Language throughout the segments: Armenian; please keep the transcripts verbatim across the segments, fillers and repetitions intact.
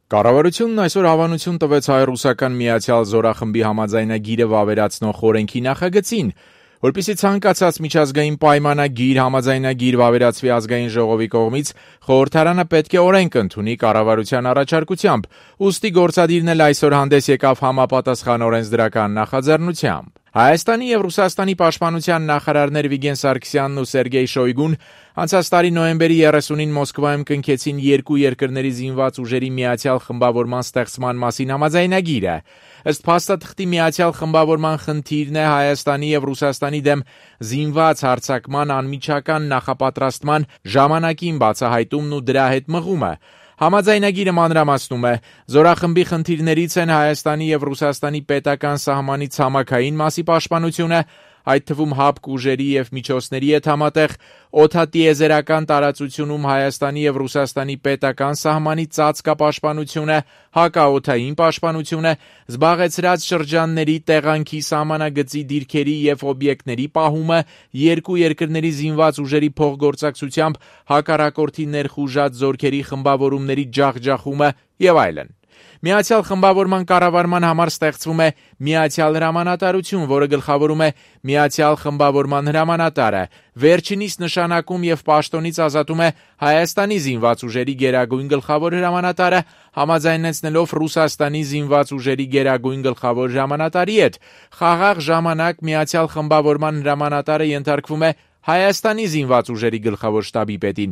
Կառավարությունն այսօր հավանություն տվեց հայ-ռուսական միացյալ զորախմբի համաձայնագիրը վավերացնող օրենքի նախագծին, որպեսզի ցանկացած միջազգային պայմանագիր, համաձայնագիր վավերացվի ազգային ժողովի կողմից, խորհրդարանը պետք է օրենք ընդունի կառավարության առաջարկությամբ, ուստի գործադիրն էլ այսօր հանդես եկավ համապատասխան օրենսդրական նախաձեռնությամբ։ Հայաստանի եւ Ռուսաստանի պաշտպանության նախարարներ Վիգեն Սարգսյանն ու Սերգեյ Շոյգուն անցած տարի նոյեմբերի երեսունին Մոսկվայում կնքեցին երկու երկրների զինված ուժերի միացյալ խմբավորման ստեղծման մասին համաձայնագիրը։ Ըստ փաստաթղթի միացյալ խմբավորման խնդիրն է Հայաստանի եւ Ռուսաստանի դեմ զինված հարձակման անմիջական նախապատրաստման ժամանակին բացահայտումն ու դրա հետ մղումը։ Համաձայնագիրը մանրամասնում է, զորախմբի խնդիրներից են Հայաստանի եւ Ռուսաստանի պետական սահմանի ցամաքային մասի պաշտպանությունը, այդ թվում հապկ ուժերի եւ միջոցների հետ համատեղ օդատիեզերական տարածությունում Հայաստանի եւ Ռուսաստանի պետական սահմանի ծածկապաշտպանությունը, հակաօդային պաշտպանությունը, զբաղեցրած շրջանների տեղանքի սահմանագծի դիրքերի եւ օբյեկտների պահումը, երկու երկրների զինված ուժերի փոխգործակցությամբ հակառակորդի ներխուժած զորքերի խմբավորումների ջախջախումը եւ այլն։ Միացյալ խմբավորման կառավարման համար ստեղծվում է միացյալ հրամանատարություն, որը գլխավորում է միացյալ խմբավորման հրամանատարը, վերջինիս նշանակում եւ պաշտոնից ազատում է Հայաստանի զինված ուժերի գերագույն գլխավոր հրամանատարը, համաձայնեցնելով Ռուսաստանի զինված ուժերի գերագույն գլխավոր հրամանատարի հետ։ Խաղաղ ժամանակ միացյալ խմբավորման հրամանատարը ենթարկվում է Հայաստանի զինված ուժերի գլխավոր շտաբի պետին,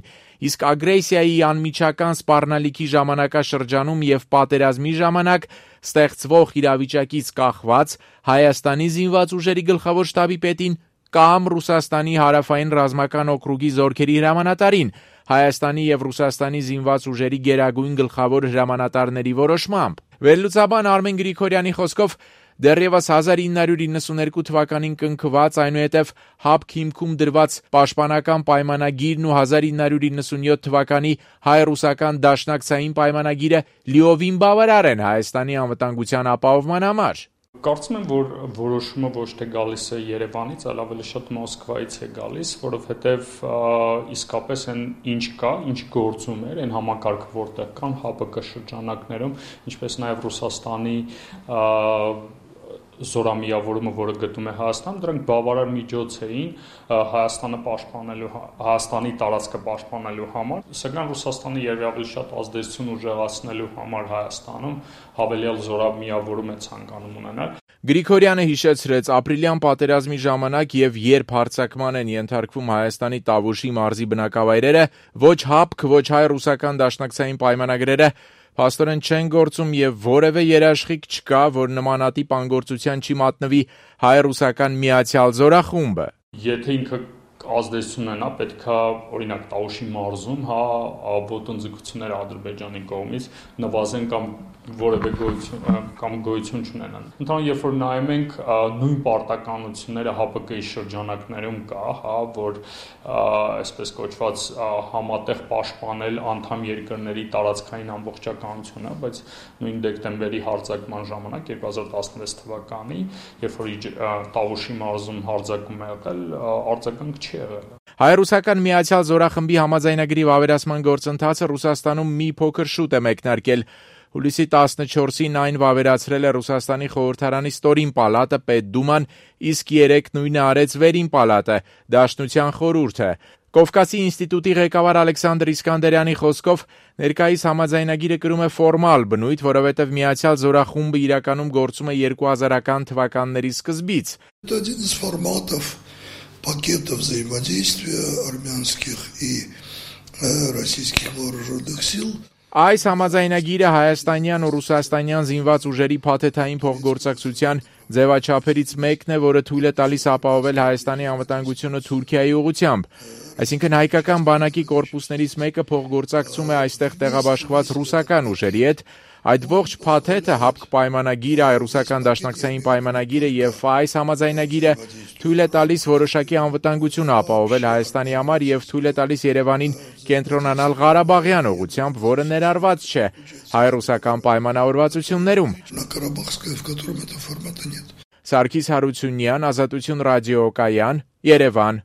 իսկ ագրեսիայի անմիջական սպառնալիքի ժամանակաշրջանում եւ պատերազմի ժամանակ ստեղծվող իրավիճակից կախված Հայաստանի զինված ուժերի գլխավոր շտաբի պետին կամ Ռուսաստանի հարավային ռազմական օկրուգի զորքերի հրամանատարին, Հայաստանի եւ Ռուսաստանի զինված ուժերի գերագույն գլխավոր հրամանատարների որոշմամբ։ Վերլուծաբան Արմեն Գրիգորյանի խոսքով դեռևս հազար ինը հարյուր իննսուներկու թվականին կնքված, այնուհետև հապկ հիմքում դրված պաշտպանական պայմանագիրն ու հազար ինը հարյուր իննսունյոթ թվականի հայ-ռուսական դաշնակցային պայմանագիրը լիովին բավարար են Հայաստանի անվտանգության ապահովման համար։ Կարծում եմ, որ որոշումը ոչ թե գալիս է Երևանից, այլ ավելի շատ Մոսկվայից է գալիս, որովհետև իսկապես այն ինչ կա, ինչ գործում էր, այն համակարգը որտեղ կան ՀԱՊԿ շրջանակներում, ինչպես նաև Ռուսաստանի զորամիավորումը, որը գտնում է Հայաստան, դրանք բավարար միջոց էին Հայաստանը պաշտպանելու, Հայաստանի տարածքը պաշտպանելու համար, սակայն Ռուսաստանը երբևէ շատ ազդեցություն ուժեղացնելու համար Հայաստանում հավելյալ զորամիավորում է ցանկանում ունենալ։ Գրիգորյանը հիշեցրեց, ապրիլյան պատերազմի ժամանակ եւ երբ հարձակման են ենթարկվում Հայաստանի Տավուշի մարզի բնակավայրերը, ոչ հապկ, ոչ հայ-ռուսական դաշնակցային պայմանագրերը փաստորեն չեն գործում եւ որևէ երաշխիք չկա, որ նմանատիպ անգործության չի մատնվի հայ-ռուսական միացյալ զորախումբը։ Եթե ինքը ազդեցություն ունենա, պետքա օրինակ Տավուշի մարզում, հա, ոտնձգությունները Ադրբեջանի կողմից նվազեն կամ որևէ գոյություն կամ գոյություն չունենան։ Ընդհանուր երբ որ նայում ենք նույն պարտականությունները ՀԱՊԿ-ի շրջանակներում կա, հա, որ այսպես կոչված համատեղ պաշտպանել անդամ երկրների տարածքային ամբողջականությունը, բայց նույն դեկտեմբերի հարձակման ժամանակ երկու հազար տասնվեց թվականի, երբ որ Տավուշի մարզում հարձակում է եղել, արձագանք չի եղել։ Հայ-ռուսական միացյալ զորախմբի համաձայնագրի վավերացման գործընթացը Ռուսաստանում մի փոքր շուտ է մեկնարկել։ Հուլիսի տասնչորսին այն վավերացրել է Ռուսաստանի խորհրդարանի ստորին պալատը, Պետդուման, իսկ երեկ նույնը արեց վերին պալատը, Դաշնության խորհուրդը։ Կովկասի ինստիտուտի ղեկավար Ալեքսանդր Իսկանդերյանի խոսքով ներկայիս համաձայնագիրը կրում է ֆորմալ բնույթ, որովհետև միացյալ զորախումբը իրականում գործում է երկու հազարական թվականների սկզբից։ Пакетов взаимодействия армянских и российских вооруженных сил. Այս համաձայնագիրը հայաստանյան ու ռուսաստանյան զինված ուժերի փաթեթային փոխգործակցության ձևաչափերից մեկն է, որը թույլ է տալիս ապահովել Հայաստանի անվտանգությունը Թուրքիայի ուղղությամբ։ Այսինքն հայկական բանակի կորպուսներից մեկը փոխգործակցում է այստեղ տեղաբաշխված ռուսական ուժերի հետ։ Այդ ողջ փաթեթը, հապկ պայմանագիրը, ռուսական դաշնակցային պայմանագիրը եւ այս համաձայնագիրը թույլ է տալիս որոշակի անվտանգություն ապահովել Հայաստանի համար եւ թույլ է տալիս Երևանին կենտրոնանալ Ղարաբաղյան ուղղությամբ, որը ներառված չէ հայ-ռուսական պայմանավորվածություններում։ Սարգիս Հարությունյան, Ազատություն ռադիոկայան, Երևան։